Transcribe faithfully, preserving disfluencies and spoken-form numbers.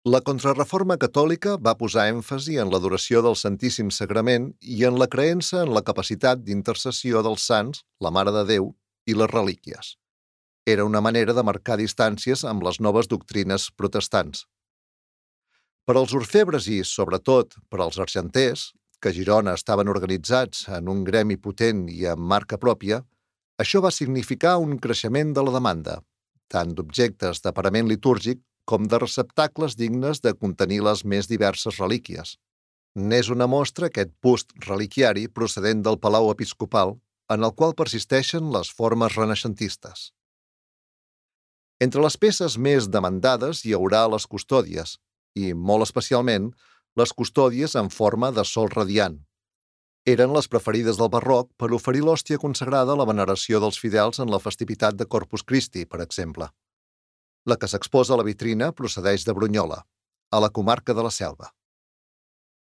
La Contrareforma catòlica va posar èmfasi en l'adoració del Santíssim Sagrament i en la creença en la capacitat d'intercessió dels sants, la Mare de Déu i les relíquies. Era una manera de marcar distàncies amb les noves doctrines protestants. Per als orfebres i, sobretot, per als argenters, que a Girona estaven organitzats en un gremi potent i amb marca pròpia, això va significar un creixement de la demanda, tant d'objectes de parament litúrgic com de receptacles dignes de contenir les més diverses relíquies. N'és una mostra aquest bust reliquiari procedent del Palau Episcopal, en el qual persisteixen les formes renaixentistes. Entre les peces més demandades hi haurà les custòdies, i, molt especialment, les custòdies en forma de sol radiant. Eren les preferides del barroc per oferir l'hòstia consagrada a la veneració dels fidels en la festivitat de Corpus Christi, per exemple. La que s'exposa a la vitrina procedeix de Brunyola, a la comarca de la Selva.